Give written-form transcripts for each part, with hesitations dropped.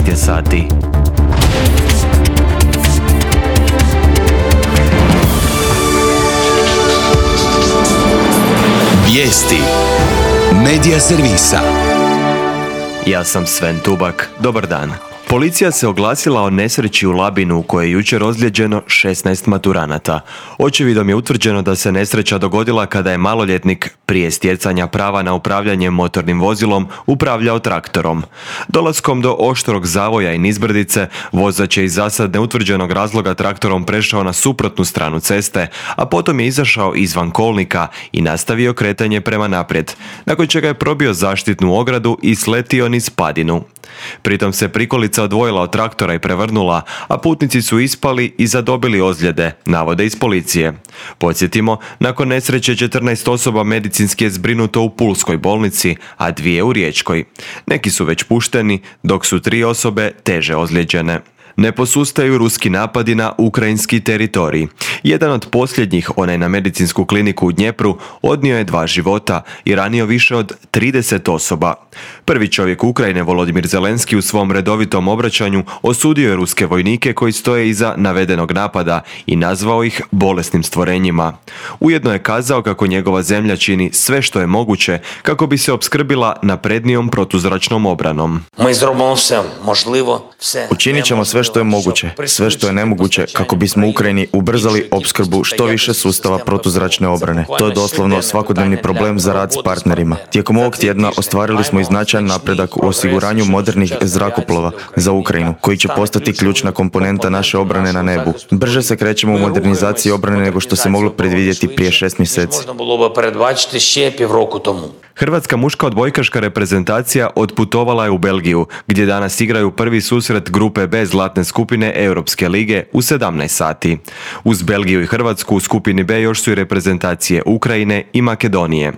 14 je sati. Vijesti Medija servisa. Ja sam Sven Tubak. Dobar dan. Policija se oglasila o nesreći u Labinu u kojoj je jučer ozlijeđeno 16 maturanata. Očevidom je utvrđeno da se nesreća dogodila kada je maloljetnik prije stjecanja prava na upravljanje motornim vozilom upravljao traktorom. Dolaskom do oštrog zavoja i nizbrdice, vozač je iz zasad neutvrđenog razloga traktorom prešao na suprotnu stranu ceste, a potom je izašao izvan kolnika i nastavio kretanje prema naprijed, nakon čega je probio zaštitnu ogradu i sletio niz padinu. Pritom se prikolica odvojila od traktora i prevrnula, a putnici su ispali i zadobili ozljede, navode iz policije. Podsjetimo, nakon nesreće 14 osoba medicinski je zbrinuto u Pulskoj bolnici, a 2 u Riječkoj. Neki su već pušteni, dok su 3 osobe teže ozlijeđene. Ne posustaju ruski napadi na ukrajinski teritorij. Jedan od posljednjih, onaj na medicinsku kliniku u Dnjepru, odnio je 2 života i ranio više od 30 osoba. Prvi čovjek Ukrajine, Volodimir Zelenski, u svom redovitom obraćanju osudio je ruske vojnike koji stoje iza navedenog napada i nazvao ih bolesnim stvorenjima. Ujedno je kazao kako njegova zemlja čini sve što je moguće kako bi se opskrbila naprednijom protuzračnom obranom. Učinit ćemo sve što je moguće, sve što je nemoguće kako bismo Ukrajini ubrzali opskrbu što više sustava protuzračne obrane. To je doslovno svakodnevni problem za rad s partnerima. Tijekom ovog tjedna ostvarili smo i značajan napredak u osiguranju modernih zrakoplova za Ukrajinu, koji će postati ključna komponenta naše obrane na nebu. Brže se krećemo u modernizaciji obrane nego što se moglo predvidjeti prije 6 mjeseci. Hrvatska muška odbojkaška reprezentacija otputovala je u Belgiju, gdje danas igraju prvi susret grupe B zlatne skupine Europske lige u 17 sati. Uz Belgiju i Hrvatsku u skupini B još su i reprezentacije Ukrajine i Makedonije.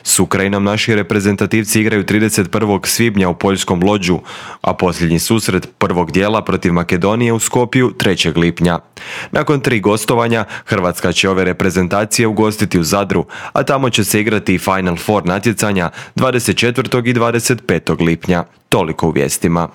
S Ukrajinom naši reprezentativci igraju 31. svibnja u poljskom Lodžu, a posljednji susret prvog dijela protiv Makedonije u Skopju 3. lipnja. Nakon 3 gostovanja, Hrvatska će ove reprezentacije ugostiti u Zadru, a tamo će se igrati i Final Four natjecanja 24. i 25. lipnja. Toliko u vijestima.